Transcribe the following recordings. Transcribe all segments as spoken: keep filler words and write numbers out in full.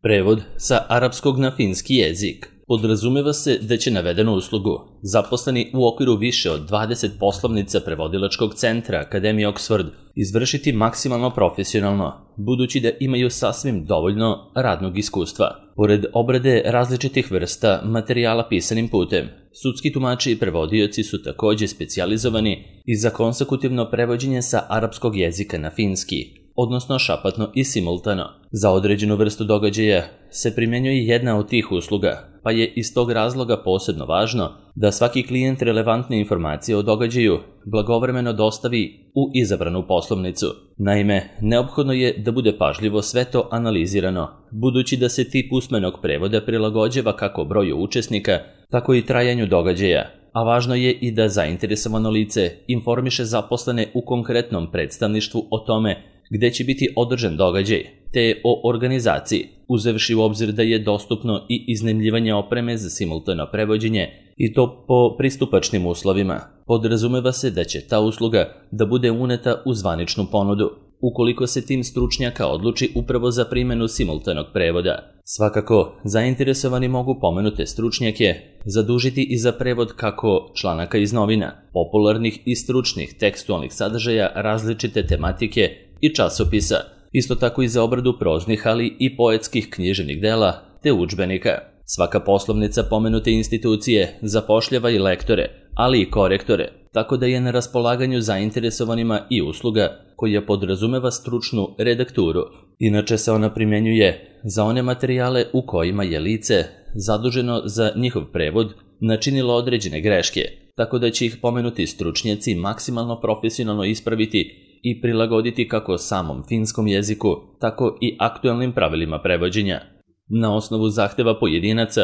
Prevod sa arapskog na finski jezik. Podrazumeva se da će navedenu uslugu zaposleni u okviru više od dvadeset poslovnica prevodilačkog centra Akademije Oxford izvršiti maksimalno profesionalno, budući da imaju sasvim dovoljno radnog iskustva. Pored obrade različitih vrsta materijala pisanim putem, sudski tumači i prevodioci su takođe specijalizovani i za konsekutivno prevođenje sa arapskog jezika na finski, odnosno šapatno i simultano. Za određenu vrstu događaja se primenjuje jedna od tih usluga, pa je iz tog razloga posebno važno da svaki klijent relevantne informacije o događaju blagovremeno dostavi u izabranu poslovnicu. Naime, neophodno je da bude pažljivo sve to analizirano, budući da se tip usmenog prevoda prilagođava kako broju učesnika, tako i trajanju događaja, a važno je i da zainteresovano lice informiše zaposlene u konkretnom predstavništvu o tome gde će biti održan događaj, te o organizaciji, uzevši u obzir da je dostupno i iznajmljivanje opreme za simultano prevođenje i to po pristupačnim uslovima. Podrazumeva se da će ta usluga da bude uneta u zvaničnu ponudu, ukoliko se tim stručnjaka odluči upravo za primjenu simultanog prevoda. Svakako, zainteresovani mogu pomenute stručnjake zadužiti i za prevod kako članaka iz novina, popularnih i stručnih tekstualnih sadržaja različite tematike i časopisa, isto tako i za obradu proznih, ali i poetskih književnih dela te udžbenika. Svaka poslovnica pomenute institucije zapošljava i lektore, ali i korektore, tako da je na raspolaganju zainteresovanima i usluga koja podrazumeva stručnu redakturu. Inače se ona primjenjuje za one materijale u kojima je lice zaduženo za njihov prevod načinilo određene greške, tako da će ih pomenuti stručnjaci maksimalno profesionalno ispraviti i prilagoditi kako samom finskom jeziku, tako i aktuelnim pravilima prevođenja. Na osnovu zahteva pojedinaca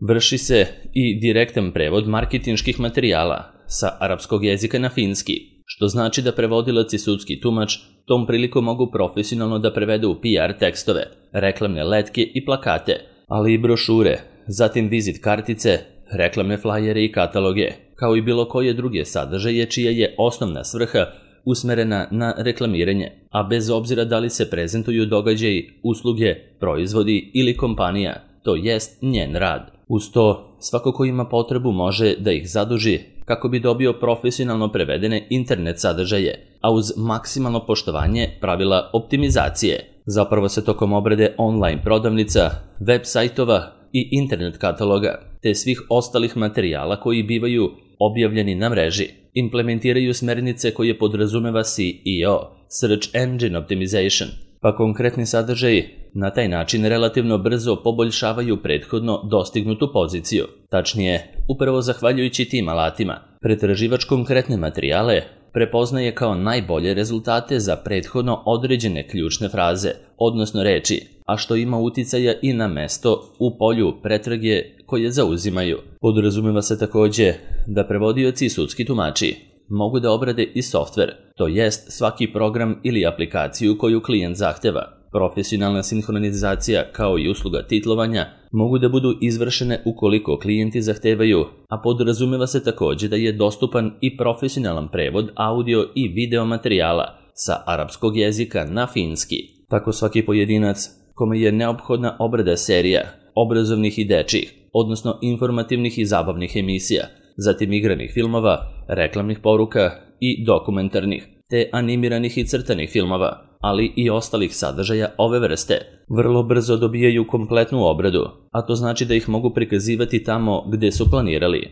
vrši se i direktan prevod marketinških materijala sa arapskog jezika na finski, što znači da prevodilac i sudski tumač tom prilikom mogu profesionalno da prevedu P R tekstove, reklamne letke i plakate, ali i brošure, zatim vizit kartice, reklamne flajere i kataloge, kao i bilo koje druge sadržaje čija je osnovna svrha usmerena na reklamiranje, a bez obzira da li se prezentuju događaji, usluge, proizvodi ili kompanija, to jest njen rad. Uz to, svako ko ima potrebu može da ih zaduži kako bi dobio profesionalno prevedene internet sadržaje, a uz maksimalno poštovanje pravila optimizacije. Zapravo se tokom obrade online prodavnica, web sajtova i internet kataloga, te svih ostalih materijala koji bivaju objavljeni na mreži, implementiraju smernice koje podrazumeva S E O, Search Engine Optimization, pa konkretni sadržaji na taj način relativno brzo poboljšavaju prethodno dostignutu poziciju. Tačnije, upravo zahvaljujući tim alatima, pretraživač konkretne materijale prepoznaje kao najbolje rezultate za prethodno određene ključne fraze, odnosno reči, a što ima uticaja i na mesto u polju pretrage koje zauzimaju. Podrazumeva se takođe da prevodioci i sudski tumači mogu da obrade i softver, to jest svaki program ili aplikaciju koju klijent zahteva. Profesionalna sinhronizacija kao i usluga titlovanja mogu da budu izvršene ukoliko klijenti zahtevaju, a podrazumeva se takođe da je dostupan i profesionalan prevod audio i video materijala sa arapskog jezika na finski. Tako svaki pojedinac kome je neophodna obrada serija, obrazovnih i dečjih, odnosno informativnih i zabavnih emisija, zatim igranih filmova, reklamnih poruka i dokumentarnih, te animiranih i crtanih filmova, ali i ostalih sadržaja ove vrste, vrlo brzo dobijaju kompletnu obradu, a to znači da ih mogu prikazivati tamo gde su planirali.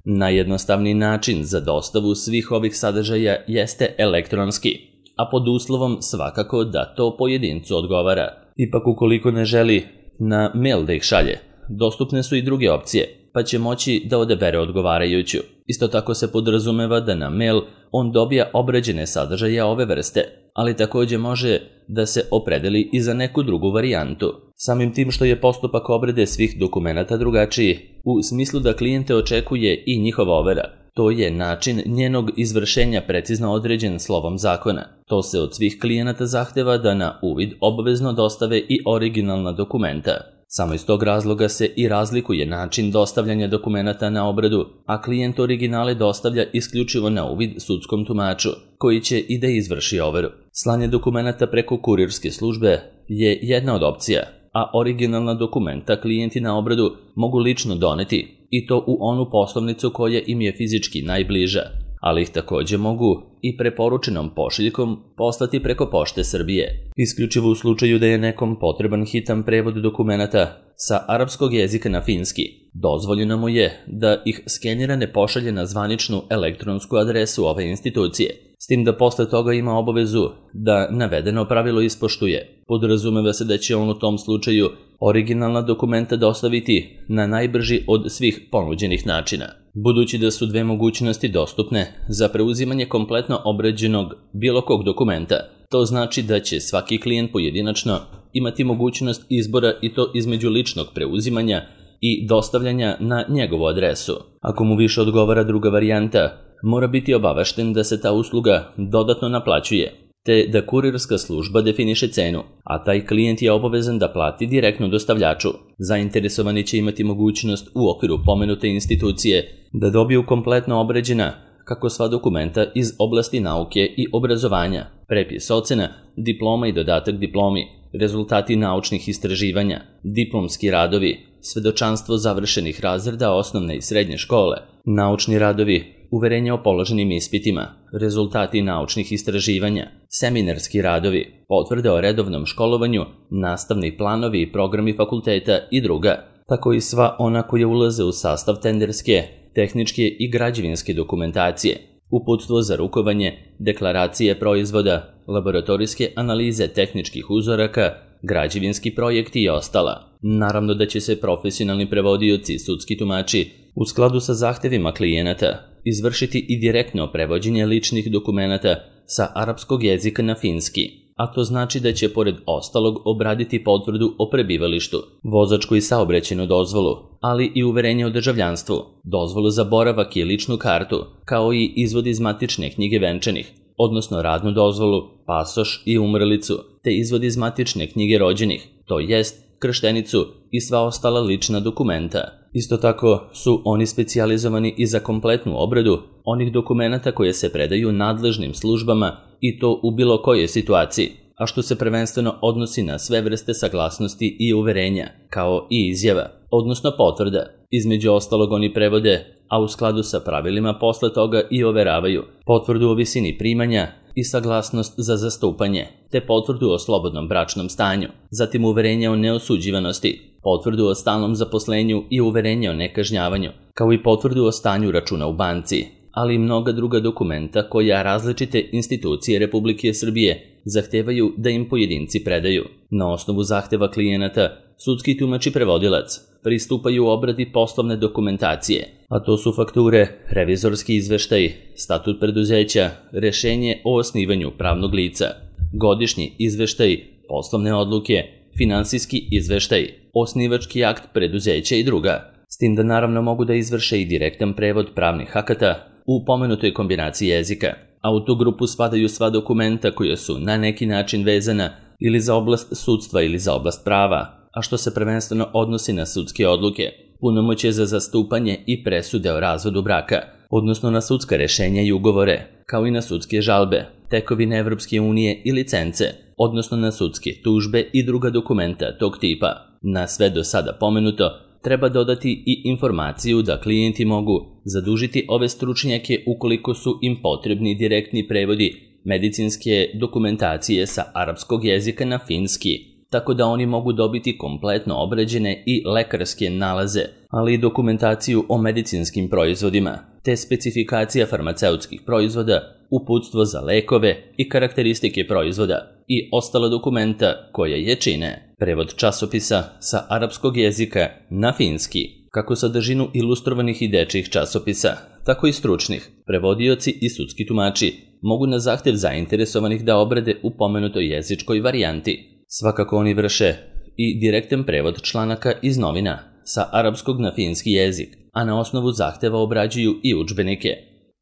Najjednostavniji način za dostavu svih ovih sadržaja jeste elektronski, a pod uslovom svakako da to pojedincu odgovara. Ipak ukoliko ne želi na mail da ih šalje, dostupne su i druge opcije, pa će moći da odabere odgovarajuću. Isto tako se podrazumeva da na mail on dobija obrađene sadržaje ove vrste, ali takođe može da se opredeli i za neku drugu varijantu. Samim tim što je postupak obrade svih dokumenata drugačiji, u smislu da klijente očekuje i njihova overa. To je način njenog izvršenja precizno određen slovom zakona. To se od svih klijenata zahteva da na uvid obavezno dostave i originalna dokumenta. Samo iz tog razloga se i razlikuje način dostavljanja dokumenata na obradu, a klijent originale dostavlja isključivo na uvid sudskom tumaču, koji će i da izvrši overu. Slanje dokumenata preko kurirske službe je jedna od opcija, a originalna dokumenta klijenti na obradu mogu lično doneti i to u onu poslovnicu koja im je fizički najbliža, ali ih takođe mogu i preporučenom pošiljkom poslati preko Pošte Srbije. Isključivo u slučaju da je nekom potreban hitan prevod dokumenata sa arapskog jezika na finski, dozvoljeno mu je da ih skenira ne pošalje na zvaničnu elektronsku adresu ove institucije, s tim da posle toga ima obavezu da navedeno pravilo ispoštuje. Podrazumeva se da će on u tom slučaju originalna dokumenta dostaviti na najbrži od svih ponuđenih načina. Budući da su dve mogućnosti dostupne za preuzimanje kompletno obrađenog bilo kog dokumenta, to znači da će svaki klijent pojedinačno imati mogućnost izbora i to između ličnog preuzimanja i dostavljanja na njegovu adresu. Ako mu više odgovara druga varijanta, mora biti obavešten da se ta usluga dodatno naplaćuje, te da kurirska služba definiše cenu, a taj klijent je obavezan da plati direktno dostavljaču. Zainteresovani će imati mogućnost u okviru pomenute institucije da dobiju kompletno obrađena kako sva dokumenta iz oblasti nauke i obrazovanja, prepis ocena, diploma i dodatak diplomi, rezultati naučnih istraživanja, diplomski radovi, svedočanstvo završenih razreda osnovne i srednje škole, naučni radovi, uverenje o položenim ispitima, rezultati naučnih istraživanja, seminarski radovi, potvrde o redovnom školovanju, nastavni planovi i programi fakulteta i druga, tako i sva ona koja ulaze u sastav tenderske, tehničke i građevinske dokumentacije, uputstvo za rukovanje, deklaracije proizvoda, laboratorijske analize tehničkih uzoraka, građevinski projekti i ostala. Naravno da će se profesionalni prevodioci i sudski tumači u skladu sa zahtevima klijenata izvršiti i direktno prevođenje ličnih dokumenata sa arapskog jezika na finski, a to znači da će pored ostalog obraditi potvrdu o prebivalištu, vozačku i saobraćajnu dozvolu, ali i uverenje o državljanstvu, dozvolu za boravak i ličnu kartu, kao i izvod iz matične knjige venčanih, odnosno radnu dozvolu, pasoš i umrlicu, te izvod iz matične knjige rođenih, to jest krštenicu i sva ostala lična dokumenta. Isto tako su oni specijalizovani i za kompletnu obradu onih dokumenata koje se predaju nadležnim službama i to u bilo kojoj situaciji, a što se prvenstveno odnosi na sve vrste saglasnosti i uverenja, kao i izjava, odnosno potvrda. Između ostalog oni prevode, a u skladu sa pravilima posle toga i overavaju, potvrdu o visini primanja i saglasnost za zastupanje, te potvrdu o slobodnom bračnom stanju, zatim uverenje o neosuđivanosti, potvrdu o stalnom zaposlenju i uverenje o nekažnjavanju, kao i potvrdu o stanju računa u banci, ali i mnoga druga dokumenta koja različite institucije Republike Srbije zahtevaju da im pojedinci predaju. Na osnovu zahteva klijenata, sudski tumač i prevodilac pristupaju obradi poslovne dokumentacije, a to su fakture, revizorski izveštaj, statut preduzeća, rešenje o osnivanju pravnog lica, godišnji izveštaj, poslovne odluke, finansijski izveštaj, osnivački akt preduzeća i druga, s tim da naravno mogu da izvrše i direktan prevod pravnih akata u pomenutoj kombinaciji jezika, a u tu grupu spadaju sva dokumenta koja su na neki način vezana ili za oblast sudstva ili za oblast prava, a što se prvenstveno odnosi na sudske odluke, punomoćje za zastupanje i presude o razvodu braka, odnosno na sudska rešenja i ugovore, kao i na sudske žalbe, tekovine Evropske unije i licence, odnosno na sudske tužbe i druga dokumenta tog tipa. Na sve do sada pomenuto, treba dodati i informaciju da klijenti mogu zadužiti ove stručnjake ukoliko su im potrebni direktni prevodi medicinske dokumentacije sa arapskog jezika na finski, tako da oni mogu dobiti kompletno obrađene i lekarske nalaze, ali i dokumentaciju o medicinskim proizvodima, te specifikacija farmaceutskih proizvoda, uputstvo za lekove i karakteristike proizvoda i ostala dokumenta koja je čine prevod časopisa sa arapskog jezika na finski, kako sadržinu ilustrovanih i dečjih časopisa, tako i stručnih. Prevodioci i sudski tumači mogu na zahtev zainteresovanih da obrade u pomenutoj jezičkoj varijanti. Svakako oni vrše i direktan prevod članaka iz novina sa arapskog na finski jezik, a na osnovu zahteva obrađuju i udžbenike,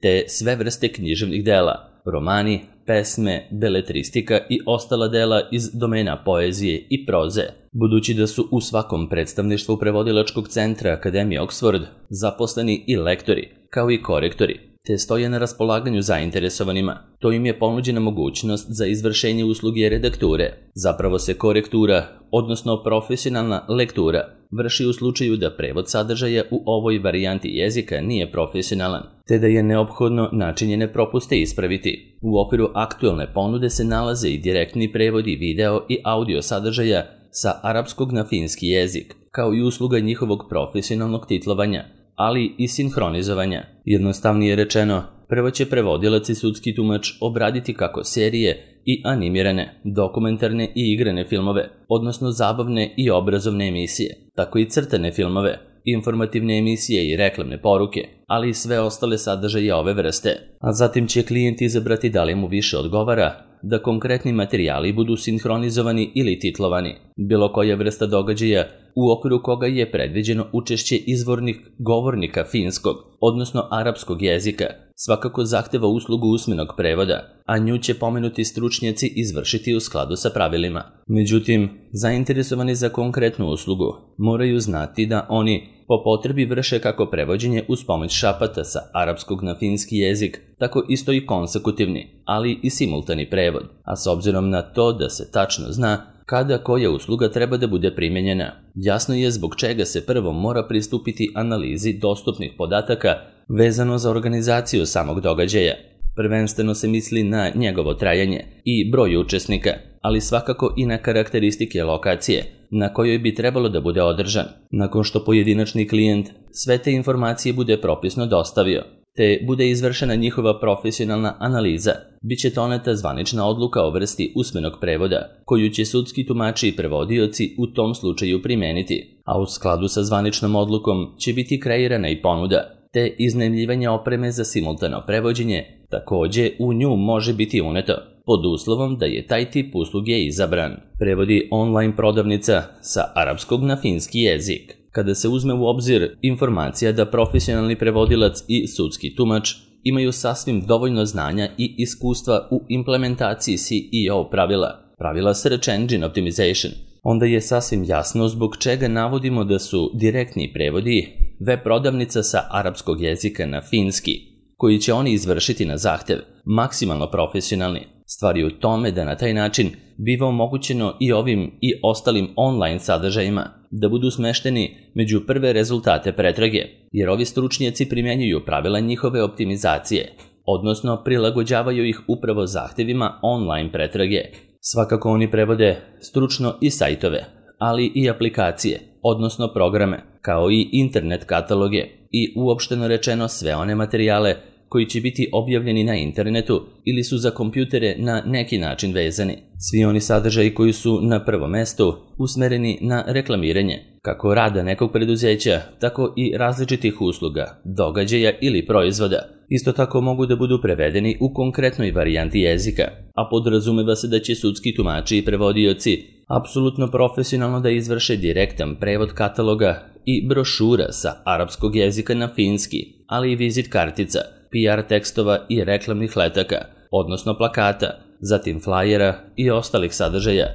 te sve vrste književnih dela, romani, pesme, beletristika i ostala dela iz domena poezije i proze. Budući da su u svakom predstavništvu prevodilačkog centra Akademije Oxford zaposleni i lektori, kao i korektori, te stoje na raspolaganju zainteresovanima. To im je ponuđena mogućnost za izvršenje usluge redakture. Zapravo se korektura, odnosno profesionalna lektura, vrši u slučaju da prevod sadržaja u ovoj varijanti jezika nije profesionalan, te da je neophodno načinjene propuste ispraviti. U okviru aktuelne ponude se nalaze i direktni prevodi video i audio sadržaja sa arapskog na finski jezik, kao i usluga njihovog profesionalnog titlovanja, ali i sinhronizovanja. Jednostavnije rečeno, prvo će prevodilac i sudski tumač obraditi kako serije i animirane, dokumentarne i igrane filmove, odnosno zabavne i obrazovne emisije, tako i crtane filmove, informativne emisije i reklamne poruke, ali i sve ostale sadržaje ove vrste. A zatim će klijent izabrati da li mu više odgovara da konkretni materijali budu sinhronizovani ili titlovani. Bilo koja vrsta događaja u okviru koga je predviđeno učešće izvornih govornika finskog, odnosno arapskog jezika, svakako zahteva uslugu usmenog prevoda, a nju će pomenuti stručnjaci izvršiti u skladu sa pravilima. Međutim, zainteresovani za konkretnu uslugu moraju znati da oni po potrebi vrše kako prevođenje uz pomoć šapata sa arapskog na finski jezik, tako isto i konsekutivni, ali i simultani prevod, a s obzirom na to da se tačno zna kada koja usluga treba da bude primenjena, jasno je zbog čega se prvo mora pristupiti analizi dostupnih podataka vezano za organizaciju samog događaja. Prvenstveno se misli na njegovo trajanje i broj učesnika, ali svakako i na karakteristike lokacije na kojoj bi trebalo da bude održan. Nakon što pojedinačni klijent sve te informacije bude propisno dostavio, te bude izvršena njihova profesionalna analiza, bit će doneta zvanična odluka o vrsti usmenog prevoda, koju će sudski tumači i prevodioci u tom slučaju primeniti, a u skladu sa zvaničnom odlukom će biti kreirana i ponuda, te iznajmljivanje opreme za simultano prevođenje takođe u nju može biti uneto, pod uslovom da je taj tip usluge izabran. Prevodi online prodavnica sa arapskog na finski jezik. Kada se uzme u obzir informacija da profesionalni prevodilac i sudski tumač imaju sasvim dovoljno znanja i iskustva u implementaciji S E O pravila, pravila Search Engine Optimization, onda je sasvim jasno zbog čega navodimo da su direktni prevodi web prodavnica sa arapskog jezika na finski, koji će oni izvršiti na zahtev, maksimalno profesionalni. Stvar je u tome da na taj način biva omogućeno i ovim i ostalim online sadržajima da budu smešteni među prve rezultate pretrage, jer ovi stručnjaci primjenjuju pravila njihove optimizacije, odnosno prilagođavaju ih upravo zahtevima online pretrage. Svakako oni prevode stručno i sajtove, ali i aplikacije, odnosno programe, kao i internet kataloge i uopšteno rečeno sve one materijale koji će biti objavljeni na internetu ili su za kompjutere na neki način vezani. Svi oni sadržaji koji su na prvom mestu usmereni na reklamiranje, kako rada nekog preduzeća, tako i različitih usluga, događaja ili proizvoda. Isto tako mogu da budu prevedeni u konkretnoj varijanti jezika, a podrazumeva se da će sudski tumači i prevodioci apsolutno profesionalno da izvrše direktan prevod kataloga i brošura sa arapskog jezika na finski, ali i vizit kartica, P R tekstova i reklamnih letaka, odnosno plakata, zatim flajera i ostalih sadržaja,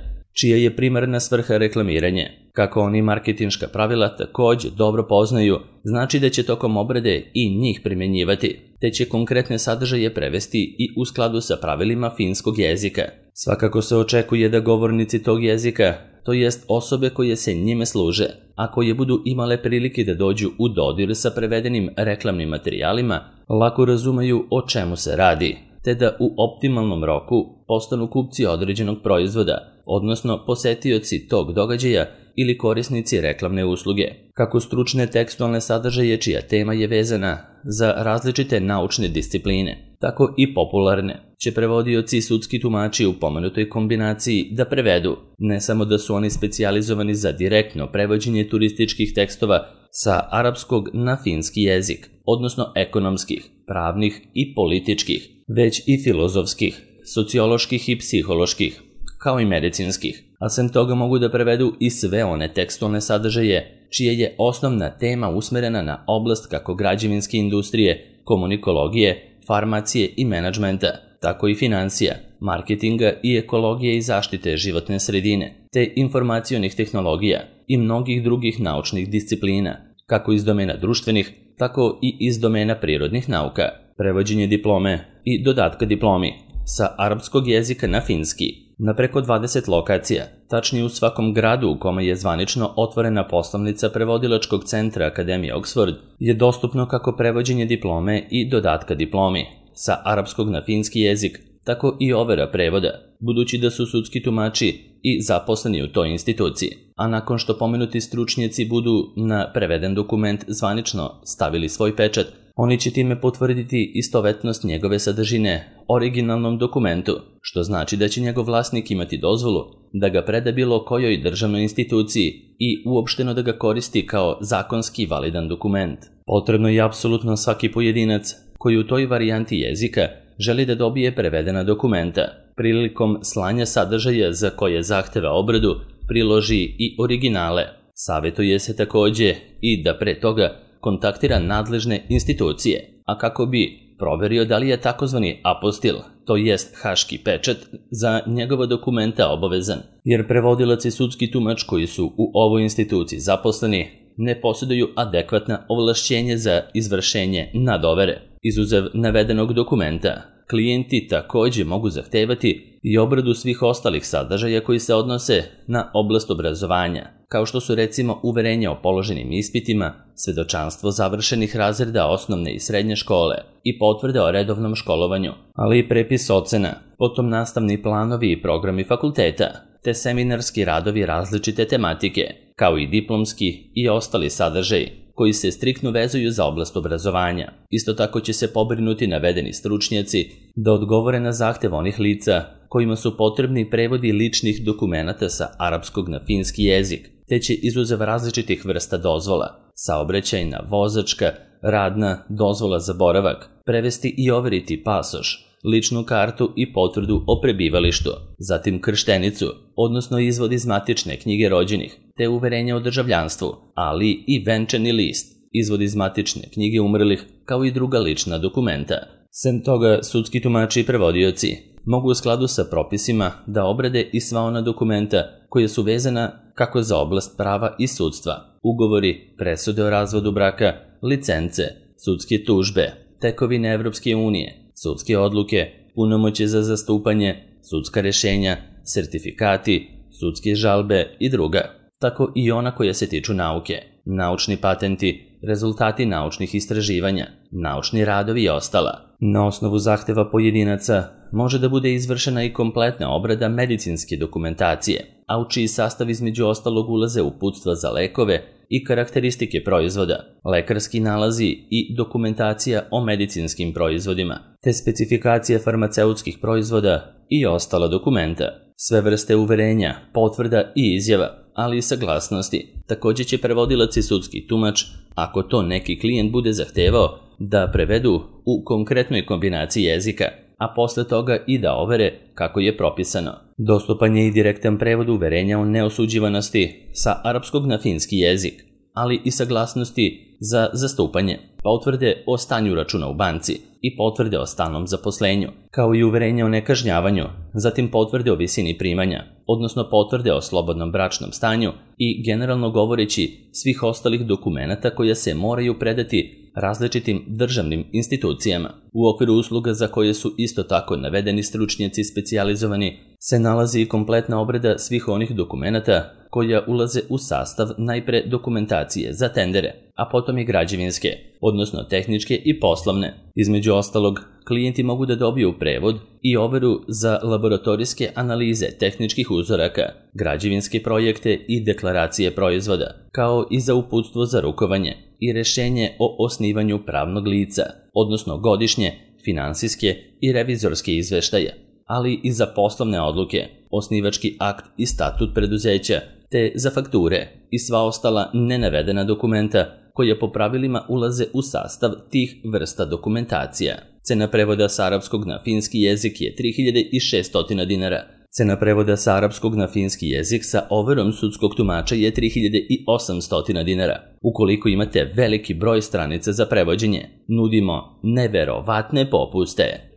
čija je primarna svrha reklamiranje. Kako oni marketinška pravila takođe dobro poznaju, znači da će tokom obrade i njih primjenjivati, te će konkretne sadržaje prevesti i u skladu sa pravilima finskog jezika. Svakako se očekuje da govornici tog jezika, to jest osobe koje se njime služe, a koje budu imale prilike da dođu u dodir sa prevedenim reklamnim materijalima, lako razumeju o čemu se radi, te da u optimalnom roku postanu kupci određenog proizvoda, odnosno posetioci tog događaja ili korisnici reklamne usluge. Kako stručne tekstualne sadržaje čija tema je vezana za različite naučne discipline, tako i popularne, će prevodioci i sudski tumači u pomenutoj kombinaciji da prevedu, ne samo da su oni specijalizovani za direktno prevođenje turističkih tekstova sa arapskog na finski jezik, odnosno ekonomskih, pravnih i političkih, već i filozofskih, socioloških i psiholoških, kao i medicinskih, a sem toga mogu da prevedu i sve one tekstualne sadržaje čija je osnovna tema usmerena na oblast kako građevinske industrije, komunikologije, farmacije i menadžmenta, tako i financija, marketinga i ekologije i zaštite životne sredine, te informacionih tehnologija i mnogih drugih naučnih disciplina, kako iz domena društvenih, tako i iz domena prirodnih nauka. prevođenje diplome i dodatka diplomi sa arapskog jezika na finski na preko dvadeset lokacija, tačnije u svakom gradu u kome je zvanično otvorena poslovnica prevodilačkog centra Akademije Oxford, je dostupno kako prevođenje diplome i dodatka diplomi sa arapskog na finski jezik, tako i overa prevoda, budući da su sudski tumači i zaposleni u toj instituciji, a nakon što pomenuti stručnjaci budu na preveden dokument zvanično stavili svoj pečat, oni će time potvrditi istovetnost njegove sadržine originalnom dokumentu, što znači da će njegov vlasnik imati dozvolu da ga preda bilo kojoj državnoj instituciji i uopšteno da ga koristi kao zakonski validan dokument. Potrebno je apsolutno svaki pojedinac koji u toj varijanti jezika želi da dobije prevedena dokumenta, prilikom slanja sadržaja za koje zahteva obradu priloži i originale. Savjetuje se takođe i da pre toga kontaktira nadležne institucije, a kako bi proverio da li je takozvani apostil, to jest haški pečat, za njegova dokumenta obavezan, jer prevodilac i sudski tumač koji su u ovoj instituciji zaposleni ne posjeduju adekvatna ovlašćenja za izvršenje nadovere. Izuzev navedenog dokumenta, klijenti takođe mogu zahtevati i obradu svih ostalih sadržaja koji se odnose na oblast obrazovanja, kao što su recimo uverenja o položenim ispitima, svedočanstvo završenih razreda osnovne i srednje škole i potvrde o redovnom školovanju, ali i prepis ocena, potom nastavni planovi i programi fakulteta, te seminarski radovi različite tematike, kao i diplomski i ostali sadržaji koji se striktno vezuju za oblast obrazovanja. Isto tako će se pobrinuti navedeni stručnjaci da odgovore na zahtev onih lica kojima su potrebni prevodi ličnih dokumenata sa arapskog na finski jezik, te će izuzev različitih vrsta dozvola, saobraćajna, vozačka, radna, dozvola za boravak, prevesti i overiti pasoš, ličnu kartu i potvrdu o prebivalištu, zatim krštenicu, odnosno izvod iz matične knjige rođenih, te uverenja o državljanstvu, ali i venčani list, izvod iz matične knjige umrlih, kao i druga lična dokumenta. Sem toga, sudski tumači i prevodioci mogu u skladu sa propisima da obrade i sva ona dokumenta koje su vezana kako za oblast prava i sudstva, ugovori, presude o razvodu braka, licence, sudske tužbe, tekovine Evropske unije, sudske odluke, punomoćje za zastupanje, sudska rešenja, sertifikati, sudske žalbe i druga, tako i ona koja se tiču nauke, naučni patenti, rezultati naučnih istraživanja, naučni radovi i ostala. Na osnovu zahteva pojedinaca može da bude izvršena i kompletna obrada medicinske dokumentacije, a u čiji sastav između ostalog ulaze uputstva za lekove i karakteristike proizvoda, lekarski nalazi i dokumentacija o medicinskim proizvodima, te specifikacije farmaceutskih proizvoda i ostala dokumenta. Sve vrste uverenja, potvrda i izjava, ali i saglasnosti. Takođe će prevodilac i sudski tumač, ako to neki klijent bude zahtevao, da prevedu u konkretnoj kombinaciji jezika, a posle toga i da overe kako je propisano. Dostupan je i direktan prevod uverenja o neosuđivanosti sa arapskog na finski jezik, ali i saglasnosti za zastupanje, potvrde o stanju računa u banci i potvrde o stalnom zaposlenju, kao i uverenja o nekažnjavanju, zatim potvrde o visini primanja, odnosno potvrde o slobodnom bračnom stanju i generalno govoreći svih ostalih dokumenata koja se moraju predati različitim državnim institucijama. U okviru usluga za koje su isto tako navedeni stručnjaci specijalizovani se nalazi i kompletna obrada svih onih dokumenata koja ulaze u sastav najpre dokumentacije za tendere, a potom i građevinske, odnosno tehničke i poslovne. Između ostalog, klijenti mogu da dobiju prevod i overu za laboratorijske analize tehničkih uzoraka, građevinske projekte i deklaracije proizvoda, kao i za uputstvo za rukovanje i rešenje o osnivanju pravnog lica, odnosno godišnje, finansijske i revizorske izveštaje, ali i za poslovne odluke, osnivački akt i statut preduzeća, te za fakture i sva ostala nenavedena dokumenta koja po pravilima ulaze u sastav tih vrsta dokumentacija. Cena prevoda sa arapskog na finski jezik je tri hiljade šesto dinara. Cena prevoda sa arapskog na finski jezik sa overom sudskog tumača je tri hiljade osamsto dinara. Ukoliko imate veliki broj stranica za prevođenje, nudimo neverovatne popuste.